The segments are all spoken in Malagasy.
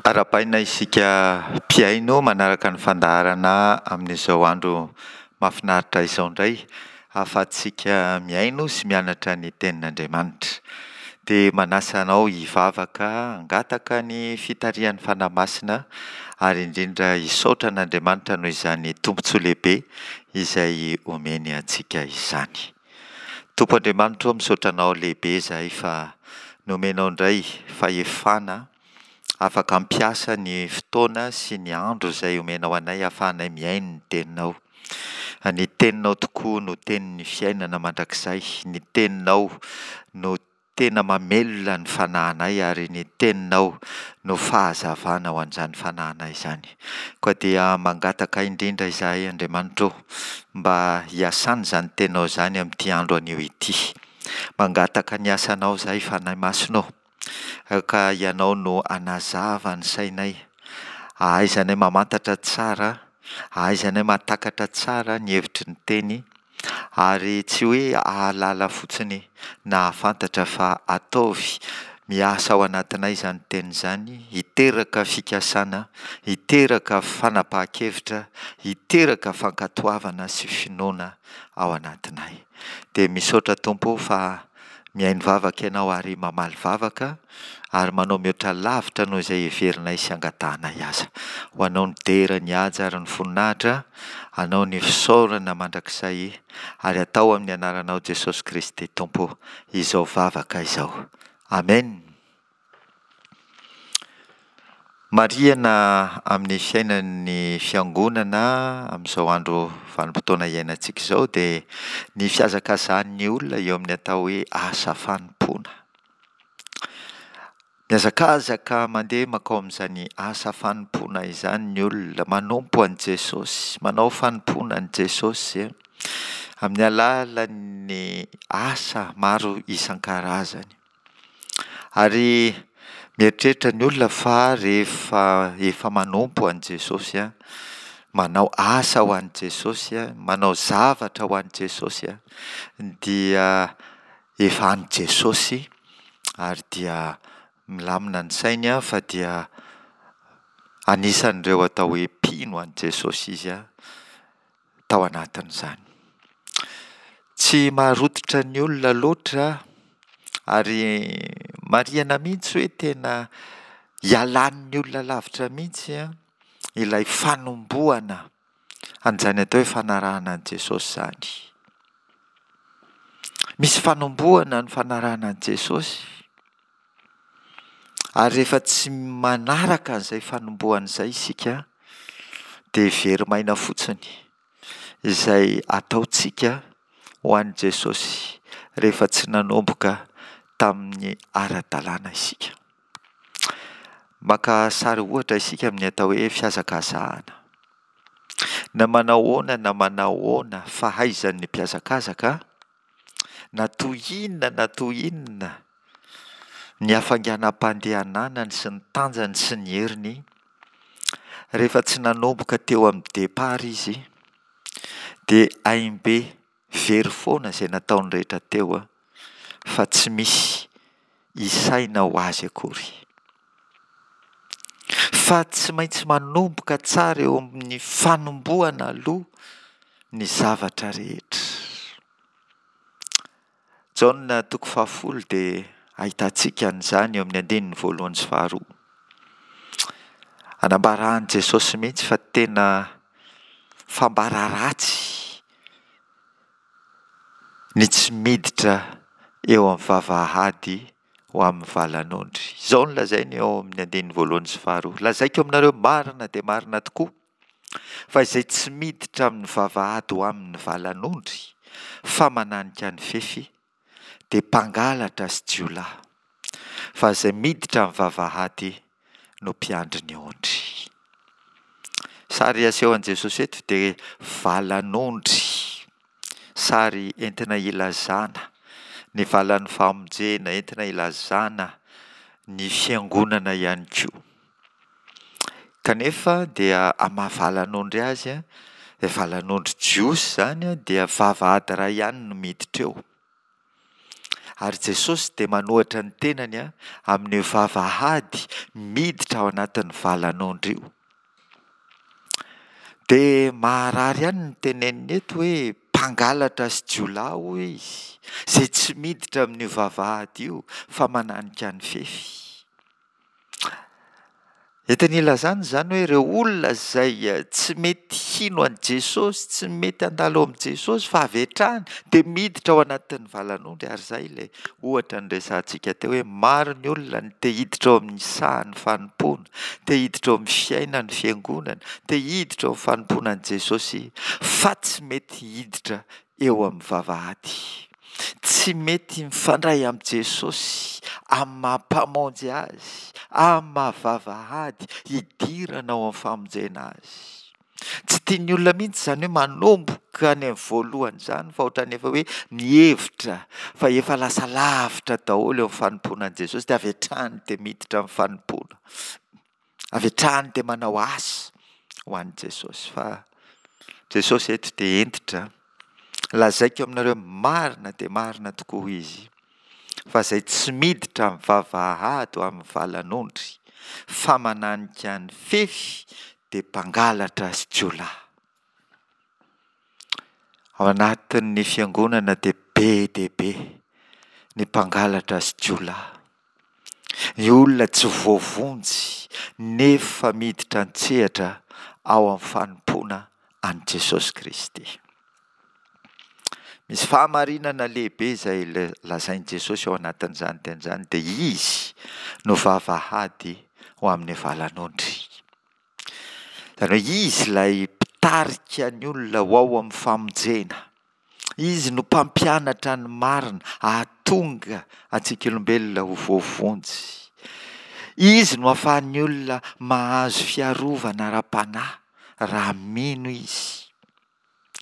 Arahabaina isika mpihaino manaraka ny fandaharana amin'izao andro mahafinaritra izao indray ahafahantsika mihaino sy mianatra ny tenin'Andriamanitra. Dia manasa anao hivavaka, hangataka ny fitarihan'ny Fanahy Masina ary indrindra hisaotra an'Andriamanitra noho izany tombontsoa lehibe izay omeny antsika izany. Tompo Andriamanitra ô, misaotra Anao lehibe izahay fa nomenao indray fahefana afaka hampiasa ny fotoana sy ny andro izay omenao anay hahafahanay mihaino ny Teninao. Ny Teninao tokoa no Tenin'ny fiainana mandrakizay, ny Teninao no Tena mamelona ny fanahinay ary ny teninao no fahazavana ho an'izany fanahinay izany. Koa dia mangataka indrindra izahay Andriamanitra o, mba hiasan'izany teninao izany amin'ity andro anio ity. Mangataka ny asanao izahay Fanahy Masina o, ka Ianao no hanazava ny sainay, hahaizanay mamantatra tsara, hahaizanay mahatakatra tsara ny hevitry ny teny, Ary tsy hoe hahalala fotsiny na hahafantatra fa ataovy miasa ao anatinay izany teny izany, hiteraka fikasana, hiteraka fanapahan-kevitra, hiteraka fankatoavana sy finoana ao anatinay. Dia misaotra Tompo o fa mihaino vavaka Ianao ary mamaly vavaka ary manao mihoatra lavitra noho izay heverinay sy angatahanay aza. Ho Anao ny dera, ny haja ary ny voninahitra, Anao ny fisaorana mandrakizay ary atao amin'ny anaranao Jesosy Kristy Tompo izao vavaka izao. Amen. Marihana amin'ny fiainan'ny fiangonana amin'izao andro vanim-potoana iainantsika izao dia ny fihazakazahan'ny olona eo amin'ny atao hoe asa fanompoana. Mihazakazaka mandeha mankao amin'izany asa fanompoana izany ny olona, manompo an'i Jesosy, manao fanompoana an'i Jesosy amin'ny alalan'ny asa maro isan-karazany. Ary mieritreritra ny olona fa rehefa efa manompo an'i Jesosy, manao asa ho an'i Jesosy, manao zavatra ho an'i Jesosy dia efa an'i Jesosy ary dia milamina ny sainy fa dia anisan'ireo atao hoe mpino an'i Jesosy izy tao anatin'izany. Tsy maharototra ny olona loatra ary marihana mihitsy hoe tena ialan'ny olona lavitra mihitsy ilay fanombohana an'izany atao hoe fanarahana an'i Jesosy izany. Misy fanombohana ny fanarahana an'i Jesosy. Ary rehefa tsy manaraka an'izay fanombohana izay isika dia very maina fotsiny izay ataontsika ho an'i Jesosy rehefa tsy nanomboka tamin'ny ara-dalàna isika. Maka sary ohatra isika amin'ny atao hoe fihazakazahana. Na manao ahoana na manao ahoana fahaizan'ny mpihazakazaka Na toy inona na toy inona ny hafainganam-pandehananany sy ny tanjany sy ny heriny, rehefa tsy nanomboka teo amin'ny départ izy dia haim-be very foana izay nataony rehetra teo fa tsy misy isaina ho azy akory. Fa tsy maintsy manomboka tsara eo amin'ny fanombohana aloha ny zavatra rehetra. Jaona toko fahafolo dia ahitantsika an'izany eo amin'ny andininy voalohany sy faharoa. Anambaran'i Jesosy mihitsy fa tena fambara ratsy ny tsy miditra eo amin'ny vavahady ho amin'ny valan'ondry. Izao no lazainy eo amin'ny andininy voalohany sy faharoa, Lazaiko aminareo marina dia marina tokoa, fa izay tsy miditra amin'ny vavahady ho amin'ny valan'ondry, fa mananika ny fefy, dia mpangalatra sy jiolahy. Fa izay miditra amin'ny vavahady no mpiandry ny ondry. Sary asehon'i Jesosy eto dia valan'ondry. Sary entina ilazana ny valan'ny famonjena, entina ilazana ny fiangonana ihany koa. Kanefa dia amin'ny maha valan'ondry azy, ilay valan'ondry jiosy izany dia vavahady iray ihany no miditra eo. Ary Jesosy dia manohatra ny tenany amin'io vavahady miditra ao anatin'ny valan'ondry io. Dia maharary ihany ny teneniny eto hoe mpangalatra sy jiolahy hoy izy, izay tsy miditra amin'io vavahady io fa mananika ny fefy. Entiny ilazana izany hoe ireo olona izay tsy mety hino an'i Jesosy, tsy mety handalo ao amin'i Jesosy fa avy hatrany dia miditra ao anatin'ny valan'ondry ary izay ilay ohatra niresahantsika teo hoe maro ny olona no te hiditra ao amin'ny sahan'ny fanompoana, te hiditra ao amin'ny fiainan'ny fiangonana, te hiditra ao amin'ny fanompoana an'i Jesosy fa tsy mety hiditra eo amin'ny vavahady. Tsy mety mifandray amin'i Jesosy amin'ny maha Mpamonjy azy, amin'ny maha vavahady hidirana ao amin'ny famonjena azy. Tsy tian'ny olona mihitsy izany hoe manomboka any amin'ny voalohany izany fa ohatran'ny efa hoe mihevitra fa efa lasa lavitra daholo eo amin'ny fanompoana an'i Jesosy dia avy hatrany dia miditra amin'ny fanompoana. Avy hatrany dia manao asa ho an'i Jesosy fa Jesosy eto dia hentitra. Lazaiko aminareo marina dia marina tokoa hoy izy fa izay tsy miditra amin'ny vavahady ho amin'ny valan'ondry fa mananika ny fefy dia mpangalatra sy jiolahy. Ao anatin'ny fiangonana dia be dia be ny mpangalatra sy jiolahy. Ny olona tsy voavonjy nefa miditra an-tsehatra ao amin'ny fanompoana an'i Jesosy Kristy. Misy fahamarinana lehibe izay lazain'i Jesosy ao anatin'izany teny izany dia Izy no vavahady ho amin'ny valan'ondry. Izany hoe Izy ilay mpitarika ny olona ho ao amin'ny famonjena. Izy no mpampianatra ny marina hahatonga antsika olombelona ho voavonjy. Izy no ahafahan'ny olona mahazo fiarovana ara-panahy raha mino izy.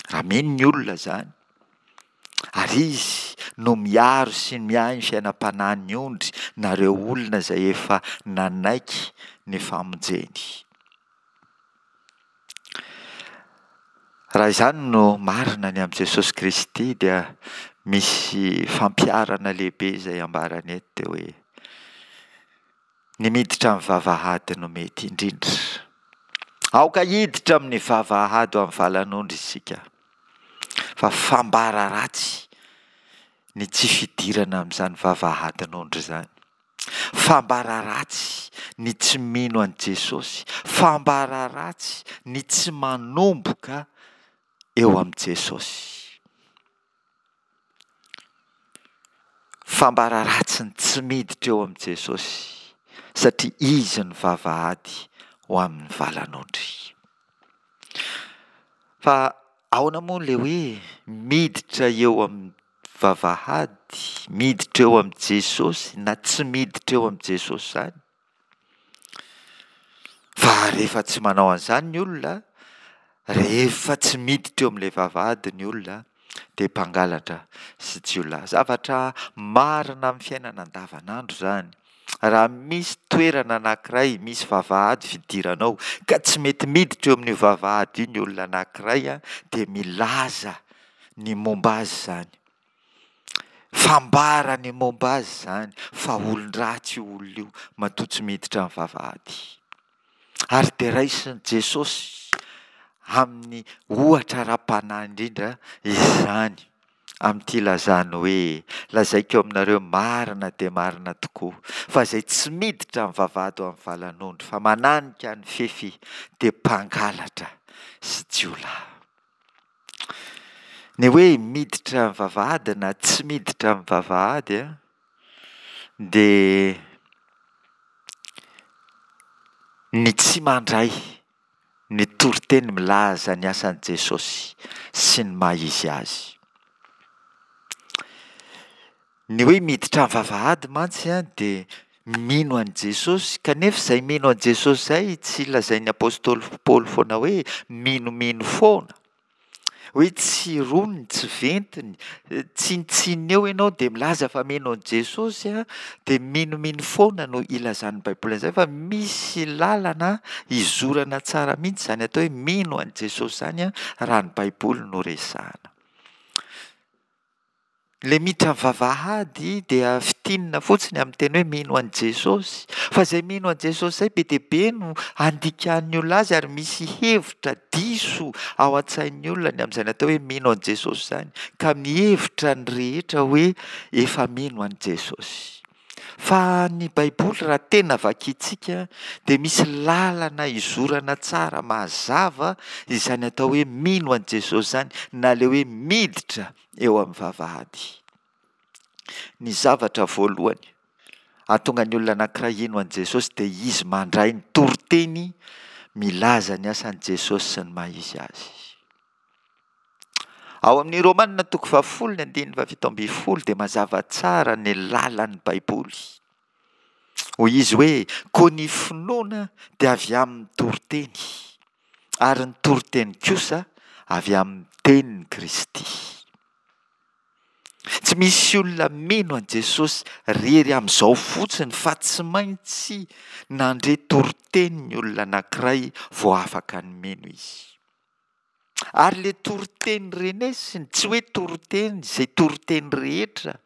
Raha mino ny olona izany. Ary Izy no miaro sy miahy ny fiainam-panahin'ny ondry na ireo olona izay efa nanaiky ny famonjeny. Raha izany no marina ny amin'i Jesosy Kristy dia misy fampiharana lehibe izay ambarany eto dia hoe ny miditra amin'ny vavahady no mety indrindra. Aoka hiditra amin'ny vavahady ho amin'ny valan'ondry isika fa fambara ratsy ny tsy fidirana amin'izany vavahadin'ondry izany. Fambara ratsy ny tsy mino an'i Jesosy. Fambara ratsy ny tsy manomboka eo amin'i Jesosy. Fambara ratsy ny tsy miditra eo amin'i Jesosy satria Izy no vavahady ho amin'ny valan'ondry. Fa ahoana moa ilay hoe miditra eo amin'ny vavahady, miditra eo amin'i Jesosy na tsy miditra eo amin'i Jesosy izany? Fa rehefa tsy manao an'izany ny olona, rehefa tsy miditra eo amin'ilay vavahady ny olona dia mpangalatra sy jiolahy. Zavatra marina amin'ny fiainana andavanandro izany. Raha misy toerana anankiray misy vavahady fidirana ao ka tsy mety miditra eo amin'io vavahady io ny olona anankiray dia milaza ny momba azy izany. Fambara ny momba azy izany fa olon-dratsy io olona io matoa tsy miditra amin'ny vavahady. Ary dia raisin'i Jesosy amin'ny ohatra ara-panahy indrindra izany amin'ity ilazany hoe, Lazaiko aminareo marina dia marina tokoa, fa izay tsy miditra amin'ny vavahady ho amin'ny valan'ondry, fa mananika ny fefy, dia mpangalatra sy jiolahy. Ny hoe miditra amin'ny vavahady na tsy miditra amin'ny vavahady dia ny tsy mandray ny toriteny milaza ny asan'i Jesosy sy ny maha izy azy. Ny hoe miditra amin'ny vavahady mantsy dia mino an'i Jesosy, kanefa izay mino an'i Jesosy izay tsy lazain'ny apostoly Paoly foana hoe minomino foana. Hoe tsy roniny, tsy ventiny, tsinontsinona eo ianao dia milaza fa mino an'i Jesosy an, dia minomino foana no ilazan'ny Baiboly an'izay fa misy lalana izorana tsara mihitsy izany atao hoe mino an'i Jesosy izany an, raha ny Baiboly no resahana. Ilay miditra amin'ny vavahady dia fintinina fotsiny amin'ny teny hoe mino an'i Jesosy. Fa izay mino an'i Jesosy izay be dia be no andikan'ny olona azy ary misy hevitra diso ao an-tsain'ny olona ny amin'izay natao hoe mino an'i Jesosy izany ka mihevitra ny rehetra hoe efa mino an'i Jesosy. Fa ny Baiboly raha tena vakintsika dia misy lalana izorana tsara mazava izany atao hoe mino an'i Jesosy izany na ilay hoe miditra eo amin'ny vavahady. Ny zavatra voalohany ahatonga ny olona anankiray hino an'i Jesosy dia izy mandray ny toriteny milaza ny asan'i Jesosy sy ny maha izy azy. Ao amin'ny Romana toko fahafolo ny andininy fahafito ambin'ny folo dia mazava tsara ny lalan'ny Baiboly. Hoy izy hoe, koa ny finoana dia avy amin'ny toriteny, ary ny toriteny kosa avy amin'ny tenin'i Kristy. Tsy misy olona mino an'i Jesosy rery amin'izao fotsiny fa tsy maintsy nandre toriteny ny olona anankiray vao afaka ny mino izy. Ary le toriteny renesiny, tsy hoe toriteny izay toriteny rehetra,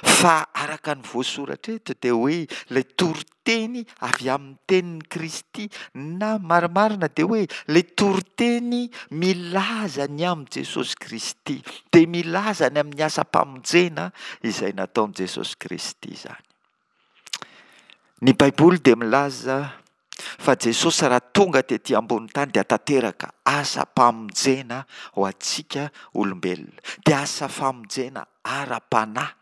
fa araka ny voasoratra eto dia hoe ilay toriteny avy amin'ny tenin'i Kristy, na marimarina dia hoe ilay toriteny milaza ny amin'i Jesosy Kristy, dia milaza ny amin'ny asam-pamonjena izay nataon'i Jesosy Kristy izany. Ny Baiboly dia milaza fa Jesosy raha tonga tety ambony tany dia tanteraka asam-pamonjena ho antsika olombelona. Dia asa famonjena ara-panahy.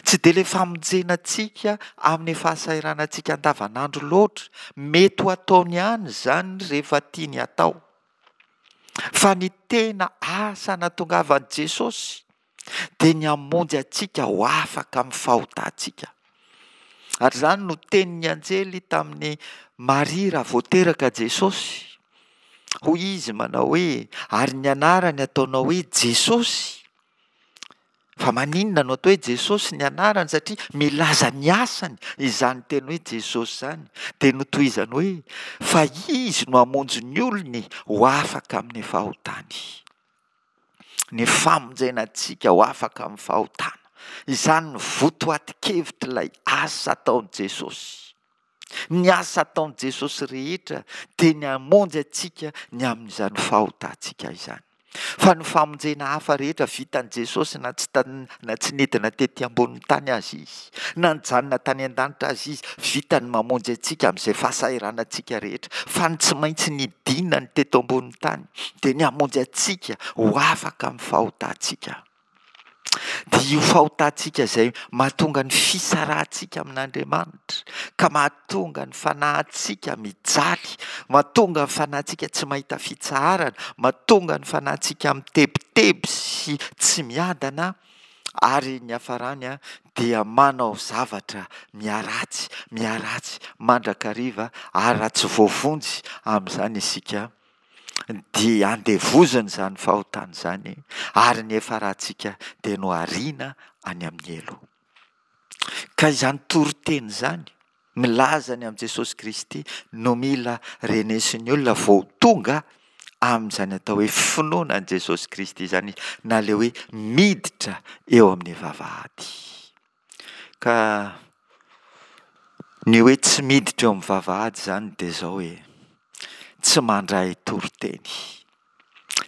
Tsy dia ilay famonjena antsika amin'ny fahasahiranantsika andavanandro loatra. Mety ho ataony ihany izany rehefa tiany hatao. Fa ny tena asa nahatongavan'i Jesosy dia ny hamonjy antsika ho afaka amin'ny fahotantsika. Ary izany no tenin'ny anjely tamin'i Maria raha vao teraka Jesosy. Hoy izy manao hoe, ary ny anarany ataonao hoe Jesosy. Fa maninona no atao hoe Jesosy ny anarany? Satria milaza ny asany izany teny hoe Jesosy izany. Dia notohizany hoe, fa izy no hamonjy ny olony ho afaka amin'ny fahotany. ny famonjena antsika ho afaka amin'ny fahotana. Izany no votoatin-kevitr'ilay asa ataon'i Jesosy. Ny asa ataon'i Jesosy rehetra dia ny hamonjy antsika ny amin'izany fahotantsika izany. Fa ny famonjena hafa rehetra vitan'i Jesosy na tsy na tsy nidina tety ambonin'ny tany aza izy, na nijanona tany an-danitra aza izy, vitany mamonjy antsika amin'izay fahasahiranantsika rehetra. Fa ny tsy maintsy nidinany teto ambonin'ny tany dia ny hamonjy antsika ho afaka amin'ny fahotantsika. Dia io fahotantsika izay mahatonga ny fisarahantsika amin'Andriamanitra, ka mahatonga ny fanahintsika mijaly, mahatonga ny fanahintsika tsy mahita fitsaharana, mahatonga ny fanahintsika mitebiteby sy tsy miadana, ary ny hafarany dia manao zavatra miharatsy, miharatsy mandrakariva, ary raha tsy voavonjy amin'izany isika dia andevoziny izany fahotana izany ary ny efa ratsika dia nohariana any amin'ny helo. Ka izany toriteny izany milaza ny amin'i Jesosy Kristy no mila renesin'ny olona vao tonga amin'izany atao hoe finoana an'i Jesosy Kristy izany na ilay hoe miditra eo amin'ny vavahady. Ka ny hoe tsy miditra eo amin'ny vavahady izany dia izao hoe, tsy mandray toriteny,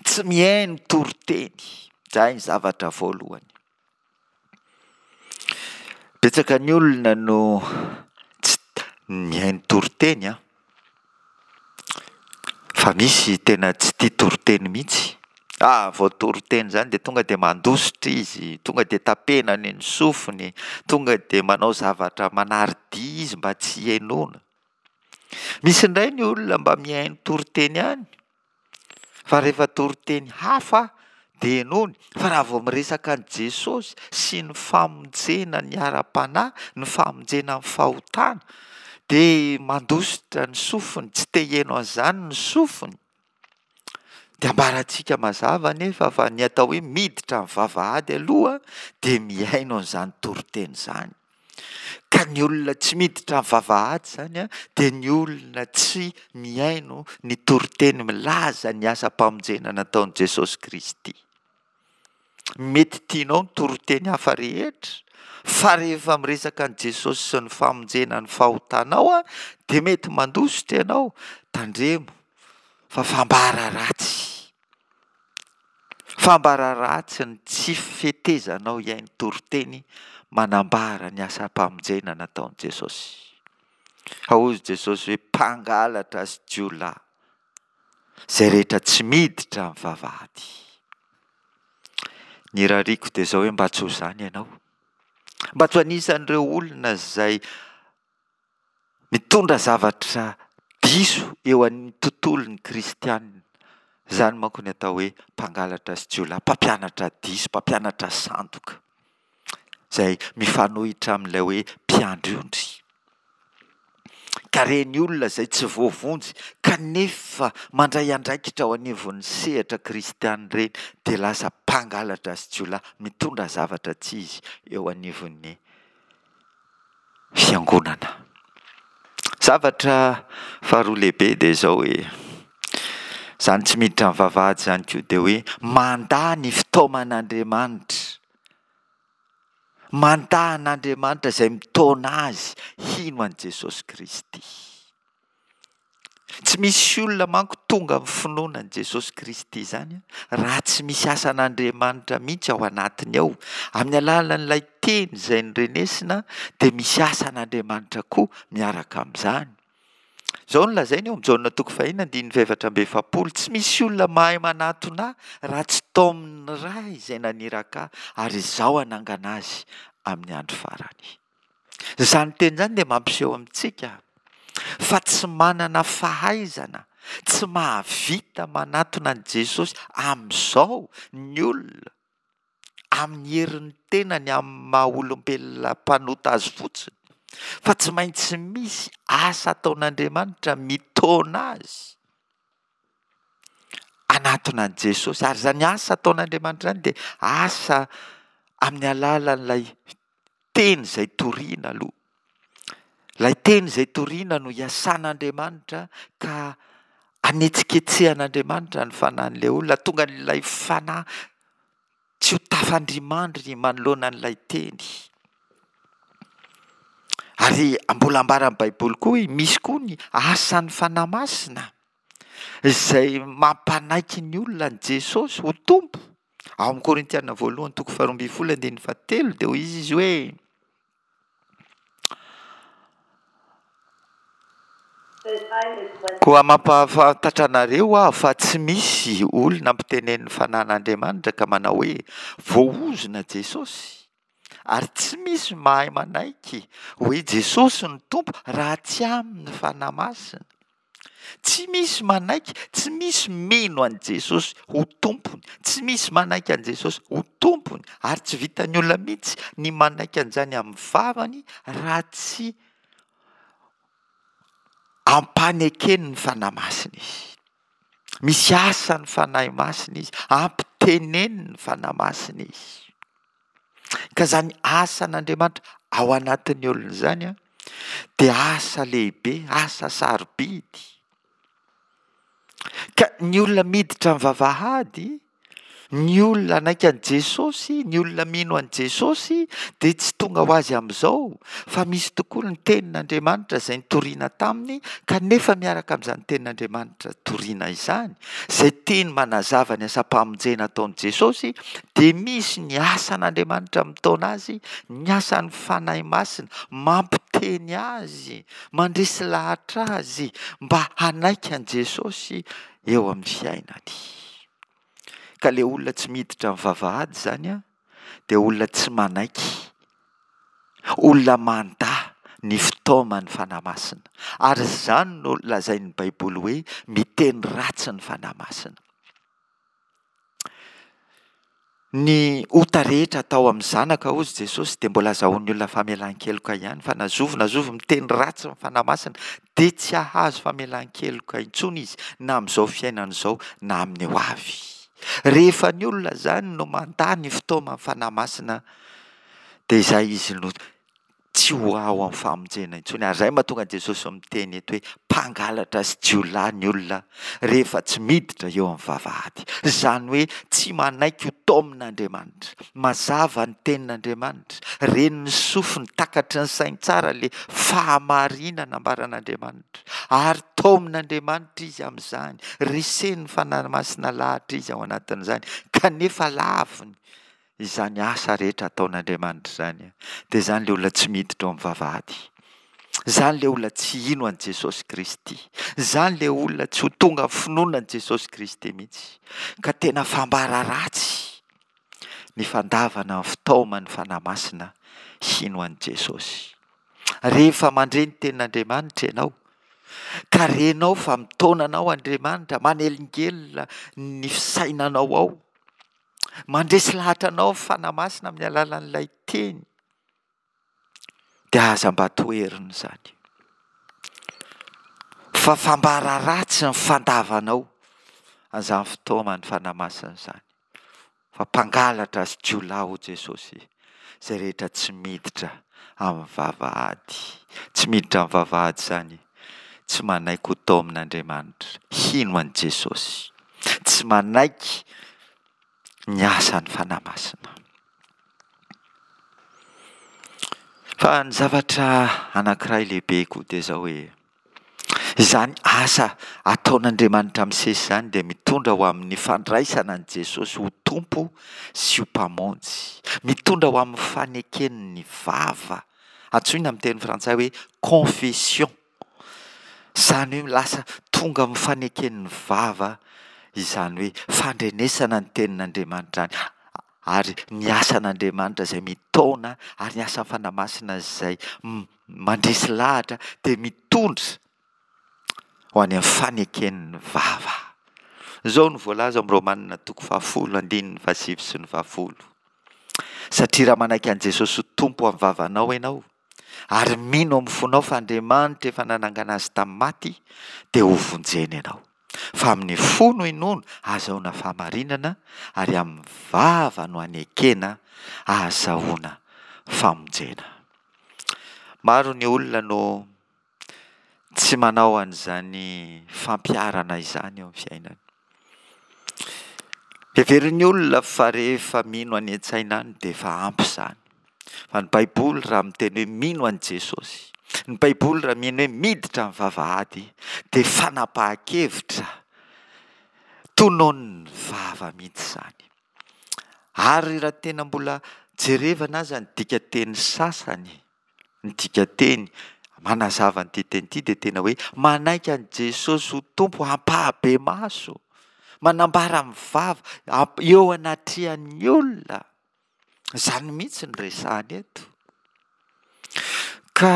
tsy mihaino toriteny, izay ny zavatra voalohany. Betsaka ny olona no tsy mihaino toriteny an. Fa misy tena tsy tia toriteny mihitsy. Ah, vao toriteny izany dia tonga dia mandositra izy, tonga dia tapenany ny sofiny, tonga dia manao zavatra manary dihy izy mba tsy henoina. Misy indray ny olona mba mihaino toriteny ihany, Fa rehefa toriteny hafa dia henoiny, fa raha vao miresaka an'i Jesosy sy ny famonjena ny ara-panahy, ny famonjena amin'ny fahotana, dia mandositra ny sofiny, tsy te hiheno an'izany ny sofiny. Dia ambarantsika mazava anefa fa ny atao hoe miditra amin'ny vavahady aloha dia mihaino an'izany toriteny izany. Ka ny olona tsy miditra amin'ny vavahady izany dia ny olona tsy mihaino ny toriteny milaza ny asam-pamonjena nataon'i Jesosy Kristy. Mety tianao ny toriteny hafa rehetra, fa rehefa miresaka an'i Jesosy sy ny famonjena ny fahotanao dia mety mandositra ianao. Tandremo fa fambara ratsy. Fambara ratsy ny tsy fetezanao hihaino toriteny manambara ny asam-pamonjena nataon'i Jesosy. Hozy Jesosy hoe mpangalatra sy jiolahy izay rehetra tsy miditra amin'ny vavahady. Ny irariako dia izao hoe mba tsy ho izany ianao. Mba tsy ho anisan'ireo olona izay mitondra zavatra diso eo amin'ny tontolon'ny kristianina. Izany manko ny atao hoe mpangalatra sy jiolahy, mpampianatra diso, mpampianatra sandoka, izay mifanohitra amin'ilay hoe mpiandry ondry. Ka ireny olona izay tsy voavonjy kanefa mandray andraikitra ao anivon'ny sehatra kristianina ireny dia lasa mpangalatra sy jiolahy mitondra zavatra tsy izy eo anivon'ny fiangonana. Zavatra faharoa lehibe dia izao hoe, izany tsy miditra amin'ny vavahady izany koa dia hoe mandà ny fitaoman'Andriamanitra. Mandà an'Andriamanitra izay mitaona azy hino an'i Jesosy Kristy. Tsy misy olona manko tonga amin'ny finoana an'i Jesosy Kristy izany raha tsy misy asan'Andriamanitra mihitsy ao anatiny ao. Amin'ny alalan'ilay teny izay norenesina dia misy asan'Andriamanitra koa miaraka amin'izany. Izao no lazainy eo amin'ny Jaona toko fahenina andininy fahefatra amby efapolo, tsy misy olona mahay manatona ahy raha tsy taomin'ny Ray izay naniraka ahy, ary izaho hanangana azy amin'ny andro farany. Izany teny izany dia mampiseho amintsika fa tsy manana fahaizana, tsy mahavita manatona an'i Jesosy amin'izao ny olona, amin'ny herin'ny tenany, amin'ny maha olombelona mpanota azy fotsiny, fa tsy maintsy misy asa ataon'Andriamanitra mitaona azy hanatona an'i Jesosy. Ary izany asa ataon'Andriamanitra izany dia asa amin'ny alalan'ilay teny izay torina aloha. Ilay teny izay torina no iasan'Andriamanitra ka anetsiketsehan'Andriamanitra ny fanahin'ilay olona, tonga an'ilay fanahy tsy ho tafandrimandry manoloana an'ilay teny. Ary mbola ambaran'ny Baiboly koa hoe misy koa ny asan'ny Fanahy Masina izay mampanaiky ny olona an'i Jesosy ho Tompo. Ao amin'ny Korintiana voalohany toko faharoa ambin'ny folo andininy fahatelo dia hoy izy hoe Koa mampahafantatra anareo aho fa tsy misy olona ampitenenin'ny Fanahin'Andriamanitra ka manao hoe, Voaozona Jesosy. Ary tsy misy mahay manaiky hoe Jesosy no Tompo raha tsy amin'ny Fanahy Masina. Tsy misy manaiky, tsy misy mino an'i Jesosy ho Tompony, tsy misy manaiky an'i Jesosy ho Tompony, ary tsy vitan'ny olona mihitsy ny manaiky an'izany amin'ny vavany raha tsy ampanekeny ny Fanahy Masina izy. Misy asan'ny Fanahy Masina izy, ampiteneniny ny Fanahy Masina izy. Ka izany asan'Andriamanitra ao anatin'ny olona izany an, dia asa lehibe, asa sarobidy. Ka ny olona miditra amin'ny vavahady, ny olona hanaiky an'i Jesosy, ny olona mino an'i Jesosy dia tsy tonga ho azy amin'izao fa misy tokoa ny tenin'Andriamanitra izay nitoriana taminy kanefa miaraka amin'izany tenin'Andriamanitra torina izany, izay teny manazava ny asam-pamonjena ataon'i Jesosy dia misy ny asan'Andriamanitra mitaona azy, ny asan'ny Fanahy Masina mampiteny azy, mandresy lahatra azy mba hanaiky an'i Jesosy eo amin'ny fiainany. Ka le olona tsy miditra amin'ny vavahady izany an, dia olona tsy manaiky, olona mandà ny fitaoman'ny Fanahy Masina. Ary izany no lazain'ny Baiboly hoe miteny ratsy ny Fanahy Masina. Ny ota rehetra atao amin'ny zanaka hozy Jesosy dia mbola azahoan'ny olona famelan-keloka ihany fa na zovy na zovy miteny ratsy ny Fanahy Masina dia tsy hahazo famelan-keloka intsony izy na amin'izao fiainana izao na amin'ny ho avy. Rehefa ny olona izany no mandà ny fitaoman'ny Fanahy Masina dia izay izy no. tsy ho ao amin'ny famonjena intsony. Ary izay mahatonga an'i Jesosy miteny eto hoe mpangalatra sy jiolahy ny olona rehefa tsy miditra eo amin'ny vavahady. Izany hoe tsy manaiky ho taomin'Andriamanitra. Mazava ny tenin'Andriamanitra, ren'ny sofiny, takatry ny sainy tsara ilay fahamarinana ambaran'Andriamanitra. Ary taomin'Andriamanitra izy amin'izany, resen'ny Fanahy Masina lahatra izy ao anatin'izany, kanefa laviny Izany asa rehetra ataon'Andriamanitra izany dia izany ilay olona tsy miditra ao amin'ny vavahady. Izany ilay olona tsy hino an'i Jesosy Kristy. Izany ilay olona tsy ho tonga amin'ny finoana an'i Jesosy Kristy mihitsy. Ka tena fambara ratsy ny fandavana ny fitaoman'ny Fanahy Masina hino an'i Jesosy. Rehefa mandre ny tenin'Andriamanitra ianao, ka renao fa mitaona anao Andriamanitra, manelingelina ny fisainanao ao, Mandresy lahatra anao ny Fanahy Masina amin'ny alalan'ilay teny, dia aza mba toherina izany. Fa fambara ratsy ny fandavanao an'izany fitaoman'ny Fanahy Masina izany. Fa mpangalatra sy jiolahy hoy Jesosy izay rehetra tsy miditra amin'ny vavahady. Tsy miditra amin'ny vavahady izany, tsy manaiky ho taomin'Andriamanitra, hino an'i Jesosy. Tsy manaiky ny asan'ny Fanahy Masina. Fa ny zavatra anankiray lehibe koa dia izao hoe, izany asa ataon'Andriamanitra misesy izany dia mitondra ho amin'ny fandraisana an'i Jesosy ho Tompo sy ho Mpamonjy. Mitondra ho amin'ny faneken'ny vava, antsoina amin'ny teny frantsay hoe confession. Izany hoe lasa tonga amin'ny faneken'ny vava izany hoe fandrenesana ny tenin'Andriamanitra izany ary ny asan'Andriamanitra izay mitaona ary ny asan'ny Fanahy Masina izay mandresy lahatra dia mitondra ho any amin'ny faneken'ny vava. Izao no voalaza ao amin'ny Romanina toko fahafolo andininy fahasivy sy ny fahafolo. Satria raha manaiky an'i Jesosy ho Tompo amin'ny vavanao ianao ary mino amin'ny fonao fa Andriamanitra efa nanangana azy tamin'ny maty dia ho vonjena ianao. Fa amin'ny fo no inoana ahazahoana fahamarinana ary amin'ny vava no anekena ahazahoana famonjena. Maro ny olona no tsy manao an'izany fampiharana izany eo amin'ny fiainany. Heverin'ny olona fa rehefa mino any an-tsaina any dia efa ampy izany. Fa ny Baiboly raha miteny hoe mino an'i Jesosy, ny Baiboly raha mino hoe miditra amin'ny vavahady dia fanapahan-kevitra tononin'ny vava mihitsy izany. Ary raha tena mbola jerevana aza ny dikanteny sasany, Ny dikanteny manazava an'ity teny ity dia tena hoe manaiky an'i Jesosy ho Tompo ampahabemaso, manambara amin'ny vava, eo anatrehan'ny olona. Izany mihitsy no resahana eto. Ka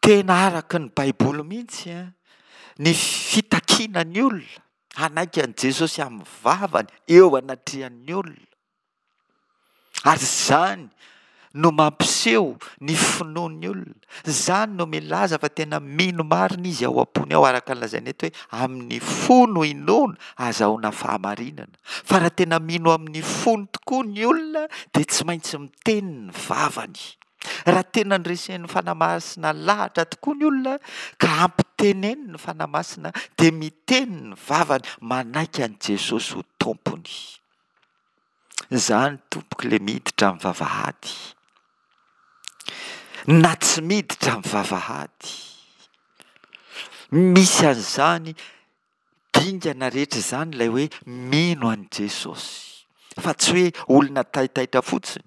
tena araka ny Baiboly mihitsy ny fitakiana ny olona hanaiky an'i Jesosy amin'ny vavany eo anatrehan'ny olona. Ary izany no mampiseho ny finoan'ny olona. Izany no milaza fa tena mino marina izy ao am-pony ao, araka ny lazaina eto hoe amin'ny fo no inoana ahazahoana fahamarinana. Fa raha tena mino amin'ny fony tokoa ny olona dia tsy maintsy miteny ny vavany. Raha tena noresen'ny Fanahy Masina lahatra tokoa ny olona ka ampiteneniny ny Fanahy Masina dia miteny ny vavany manaiky an'i Jesosy ho Tompony. Izany tompoko le miditra amin'ny vavahady na tsy miditra amin'ny vavahady. Misy an'izany dingana rehetra izany ilay hoe mino an'i Jesosy fa tsy hoe olona taitaitra fotsiny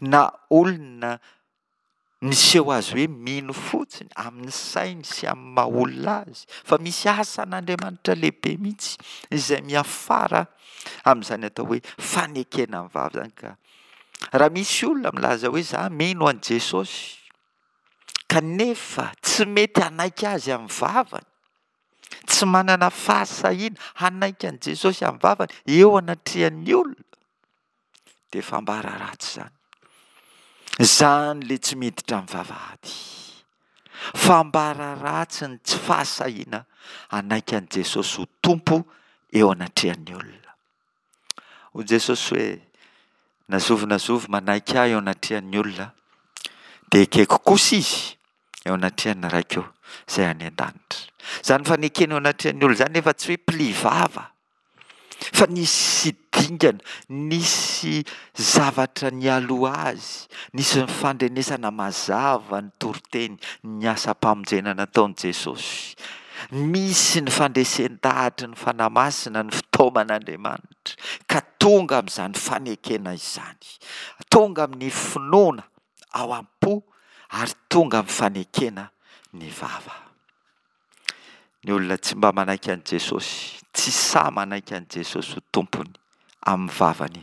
na olona Miseho azy hoe mino fotsiny amin'ny sainy sy amin'ny maha olona azy fa misy asan'Andriamanitra lehibe mihitsy izay miafara amin'izany atao hoe fanekena ny vava izany ka raha misy olona milaza hoe za mino an'i Jesosy kanefa tsy mety hanaiky azy amin'ny vavany, tsy manana fahasahiana hanaiky an'i Jesosy amin'ny vavany eo anatrehan'ny olona, dia fambara ratsy izany. Izany ilay tsy miditra amin'ny vavahady. Fambara ratsy ny tsy fahasahiana hanaiky an'i Jesosy ho Tompo eo anatrehan'ny olona. Hoy Jesosy hoe, na zovy na zovy manaiky ahy eo anatrehan'ny olona, Dia ekeko kosa izy eo anatrehan'ny Raiko izay any an-danitra. Izany fanekena eo anatrehan'ny olona izany nefa tsy hoe pli vava. Fa nisy dingana, nisy zavatra nialoha azy, nisy ny fandrenesana mazava ny toriteny, ny asam-pamonjena nataon'i Jesosy. Misy ny fandresen-dahatry ny Fanahy Masina, ny fitaoman'Andriamanitra, ka tonga amin'izany fanekena izany. Tonga amin'ny finoana ao am-po ary tonga amin'ny fanekena ny vava. Ny olona tsy mba manaiky an'i Jesosy, tsy sahy manaiky an'i Jesosy ho Tompony amin'ny vavany.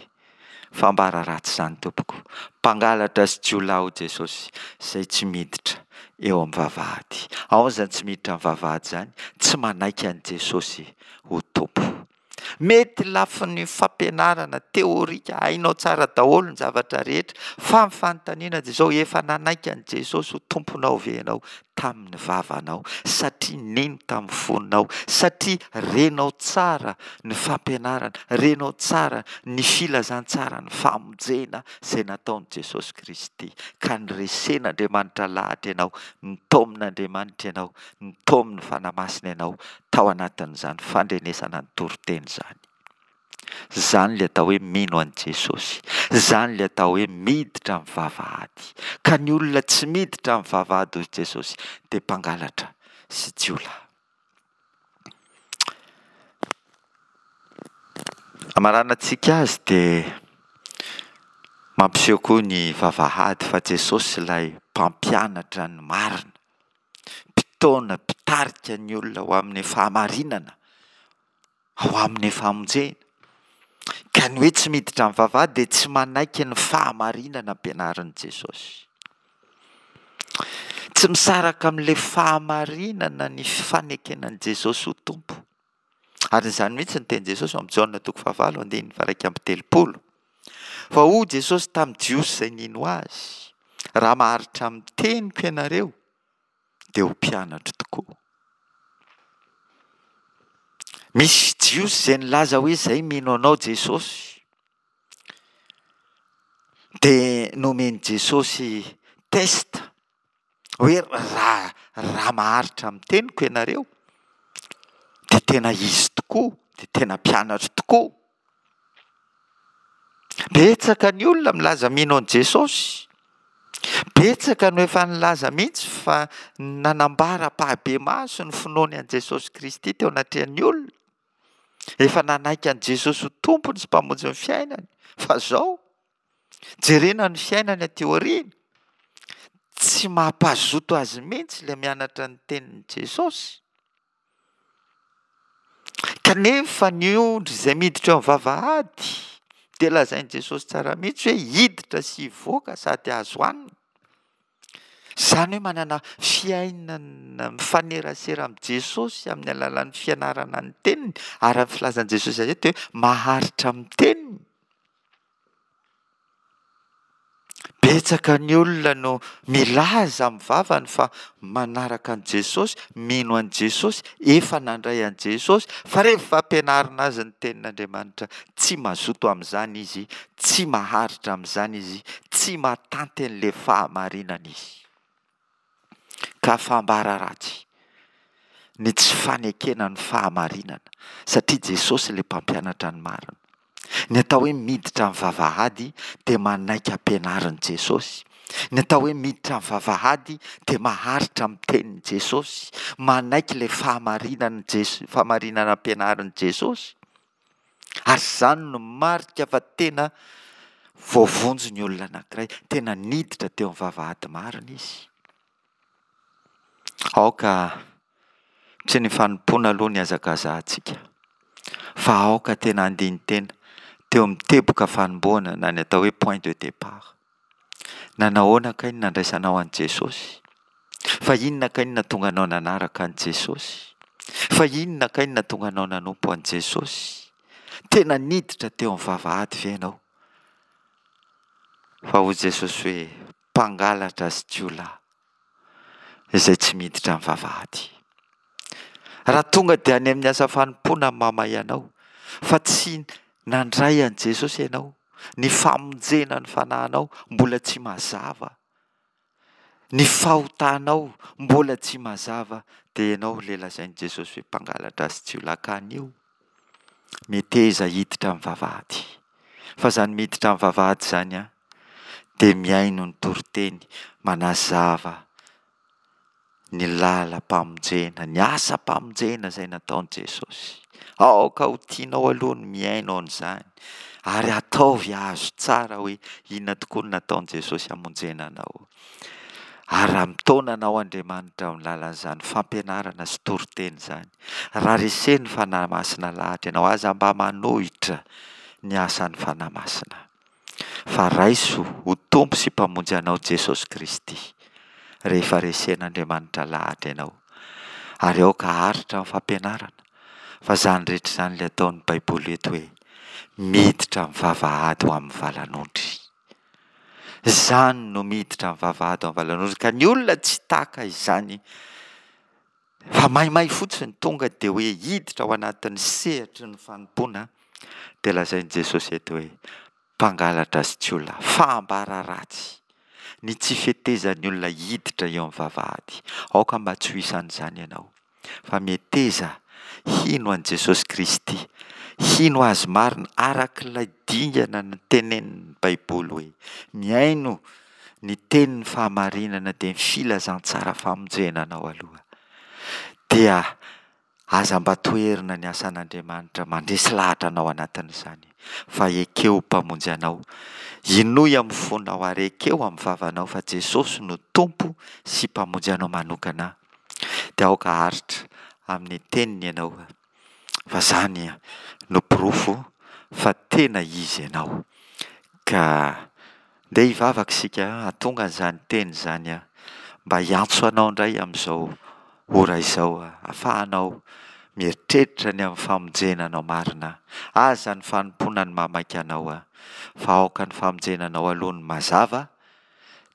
Fambara ratsy izany tompoko. Mpangalatra sy jiolahy hoy Jesosy izay tsy miditra eo amin'ny vavahady. Ahoana izany tsy miditra amin'ny vavahady izany? Tsy manaiky an'i Jesosy ho Tompo. Mety lafiny fampianarana teorika, hainao tsara daholo ny zavatra rehetra, fa ny fanontaniana dia izao, efa nanaiky an'i Jesosy ho Tomponao ve ianao tamin'ny vavanao, satria nino tamin'ny fonao, satria renao tsara ny fampianarana, renao tsara ny filazantsaran'ny famonjena izay nataon'i Jesosy Kristy, ka niresen'Andriamanitra lahatra ianao, nitaomin'Andriamanitra ianao, nitaomin'ny Fanahy Masina ianao tao anatin'izany fandrenesana ny toriteny izany. Izany ilay atao hoe mino an'i Jesosy. Izany ilay atao hoe miditra amin'ny vavahady. Ka ny olona tsy miditra amin'ny vavahady hoy Jesosy dia mpangalatra sy jiolahy. Hamaranantsika azy dia mampiseho koa ny vavahady fa Jesosy ilay mpampianatra ny marina. mpitaona, mpitarika ny olona ho amin'ny fahamarinana, ho amin'ny famonjena. Ka ny hoe tsy miditra amin'ny vavahady dia tsy manaiky ny fahamarinana ampianarin'i Jesosy. Tsy misaraka amin'ilay fahamarinana ny fanekena an'i Jesosy ho Tompo. Ary izany mihitsy ny tenin'i Jesosy ao amin'ny Jaona toko fahavalo andininy faha-31. Fa hoy Jesosy tamin'ny Jiosy izay nino Azy, Raha maharitra amin'ny teniko ianareo, dia ho mpianatro tokoa. Misy Jiosy izay nilaza hoe izay mino anao Jesosy. Dia nomen'i Jesosy test hoe raha raha maharitra amin'ny teniko ianareo dia tena izy tokoa, dia tena mpianatro tokoa. Betsaka ny olona milaza mino an'i Jesosy. Betsaka no efa nilaza mihitsy fa nanambara ampahibemaso ny finoany an'i Jesosy Kristy teo anatrehan'ny olona. Efa nanaiky an'i Jesosy ho Tompony sy Mpamonjy ny fiainany. Fa izao, Jerena ny fiainany aty aoriana, tsy mampazoto azy mihitsy ilay mianatra ny tenin'i Jesosy. Kanefa ny ondry izay miditra eo amin'ny vavahady dia lazain'i Jesosy tsara mihitsy hoe hiditra sy hivoaka sady azo hanina. Izany hoe manana fiainana mifanerasera amin'i Jesosy amin'ny alalan'ny fianarana ny teniny ary ny filazan'i Jesosy azy eto hoe maharitra amin'ny teniny. Betsaka ny olona no milaza amin'ny vavany fa manaraka an'i Jesosy, mino an'i Jesosy, efa nandray an'i Jesosy, fa rehefa ampianarina azy ny tenin'Andriamanitra, tsy mazoto amin'izany izy, tsy maharitra amin'izany izy, tsy mahatanty an'ilay fahamarinana izy. Ka fambara ratsy ny tsy fanekena ny fahamarinana satria Jesosy ilay mpampianatra ny marina. Ny atao hoe miditra amin'ny vavahady dia manaiky ampianarin'i Jesosy. Ny atao hoe miditra amin'ny vavahady dia maharitra amin'ny tenin'i Jesosy, manaiky ilay fahamarinan'i Jes- fahamarinana ampianarin'i Jesosy. Ary izany no marika fa tena voavonjy ny olona anankiray, tena niditra teo amin'ny vavahady marina izy. Aoka tsy ny fanompoana aloha ny hazakazahantsika, fa aoka tena handini-tena teo amin'ny teboka fanombohana na ny atao hoe point de départ. Nanahoana kay ny nandraisanao an'i Jesosy? Fa inona kay no nahatonga anao nanaraka an'i Jesosy? Fa inona kay no nahatonga anao nanompo an'i Jesosy? Tena niditra teo amin'ny vavahady ve ianao? Fa hoy Jesosy hoe, mpangalatra sy jiolahy izay tsy miditra amin'ny vavahady. Raha tonga dia any amin'ny asa fanompoana ny mamay anao, fa tsy nandray an'i Jesosy ianao, ny famonjena ny fanahinao mbola tsy mazava. ny fahotanao mbola tsy mazava, dia ianao ilay lazain'i Jesosy hoe mpangalatra sy jiolahy ka anio meteza hiditra amin'ny vavahady. Fa izany miditra amin'ny vavahady izany an, dia mihaino ny toriteny manazava ny lalam-pamonjena, ny asam-pamonjena izay nataon'i Jesosy. Aoka ho tianao aloha ny mihaino an'izany ary ataovy azo tsara hoe inona tokoa no nataon'i Jesosy hamonjena anao. Ary raha mitaona anao Andriamanitra amin'ny alalan'izany fampianarana sy toriteny izany, raha resen'ny Fanahy Masina lahatra ianao, aza mba manohitra ny asan'ny Fanahy Masina. Fa raiso ho Tompo sy Mpamonjy anao Jesosy Kristy rehefa resen'Andriamanitra lahatra ianao. Ary aoka haharitra ny fampianarana fa izany rehetra izany ilay ataon'ny Baiboly eto hoe miditra amin'ny vavahady ho amin'ny valan'ondry. Izany no miditra amin'ny vavahady ho amin'ny valan'ondry ka ny olona tsy taka izany fa maimay fotsiny tonga dia hoe hiditra ao anatin'ny sehatry ny fanompoana dia lazain'i Jesosy eto hoe mpangalatra sy jiolahy, fahambara ratsy ny tsy fetezan'ny olona hiditra eo amin'ny vavahady. Aoka mba tsy ho isan'izany ianao fa meteza hino an'i Jesosy Kristy, hino Azy marina araka ilay dingana notenenin'ny Baiboly hoe mihaino ny tenin'ny fahamarinana dia ny filazantsara famonjena anao aloha dia aza mba toherina ny asan'Andriamanitra mandresy lahatra anao anatin'izany fa ekeo ho mpamonjy anao inoy amin'ny fonao ary ekeo amin'ny vavanao fa Jesosy no Tompo sy mpamonjy anao manokana dia aoka haharitra amin'ny teniny ianao fa zany no porofo fa tena izy ianao ka ndeha hivavaka isika hahatonga an'izany teny izany aho mba hiantso anao indray amin'izao ora izao ahafahanao mieritreritra ny amin'ny famonjena anao marina aza ny fanompoana ny mahamaika anao aho fa aoka ny famonjena anao aloha ny mazava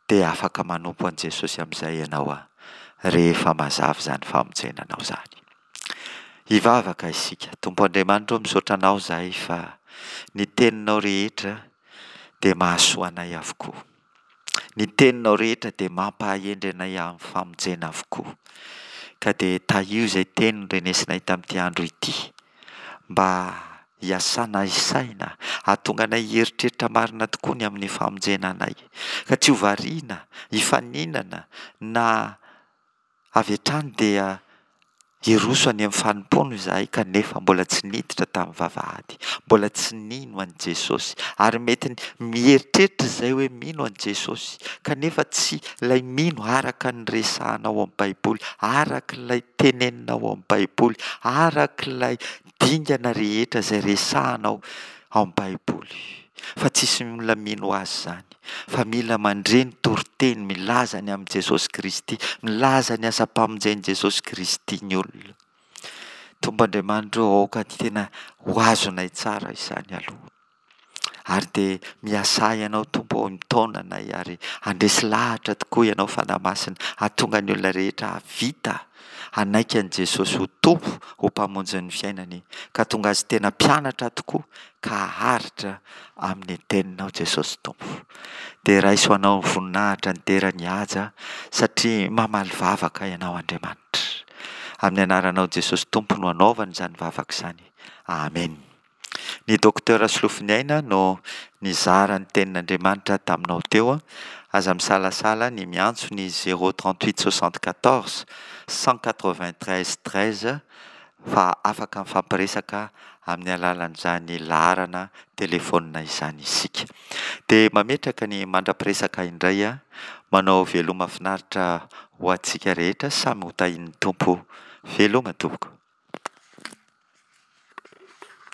dia afaka manompo an'i Jesosy amin'izay ianao rehefa mazava izany famonjena anao izany. Hivavaka isika. Tompo Andriamanitra ô, misaotra Anao izahay fa ny Teninao rehetra dia mahasoa anay avokoa. Ny Teninao rehetra dia mampahahendry anay amin'ny famonjena avokoa. Ka dia tahio izay teny norenesinay tamin'ity andro ity mba hiasanay saina, hahatonga anay hieritreritra marina tokoa ny amin'ny famonjena anay. Ka tsy ho variana, hifaninana na Avy hatrany dia hiroso any amin'ny fanompoana izahay kanefa mbola tsy niditra tamin'ny vavahady, mbola tsy nino an'i Jesosy. Ary mety mieritreritra izay hoe mino an'i Jesosy, kanefa tsy ilay mino araka ny resahana ao amin'ny Baiboly, araka ilay tenenina ao amin'ny Baiboly, araka ilay dingana rehetra izay resahana ao amin'ny Baiboly. Fa tsisy olona mino azy izany. fa mila mandre ny toriteny milaza ny amin'i Jesosy Kristy, milaza ny asam-pamonjen'i Jesosy Kristy ny olona. Tompo Andriamanitra ô, aoka tena ho azonay tsara izany aloha. Ary dia miasà Ianao Tompo ô, mitaona anay ary handresy lahatra tokoa Ianao Fanahy Masina, hahatonga ny olona rehetra hahavita hanaiky an'i Jesosy ho Tompo, ho Mpamonjin'ny fiainany, ka tonga azy tena mpianatra tokoa ka haharitra amin'ny teninao Jesosy Tompo. Dia raiso anao ny voninahitra, ny dera, ny haja satria mamaly vavaka Ianao Andriamanitra. Amin'ny anaranao Jesosy Tompo no anaovana izany vavaka izany. Amen. Ny Docteur Solofoniaina no nizara ny tenin'Andriamanitra taminao teo. Aza misalasala ny miantso ny 038 74 193 13 fa afaka mifampiresaka amin'ny alalan'izany laharana telefaonina izany isika. Dia mametraka ny mandra-piresaka indray aho, manao veloma finaritra ho antsika rehetra, samy ho tahian'ny Tompo. Veloma tompoko.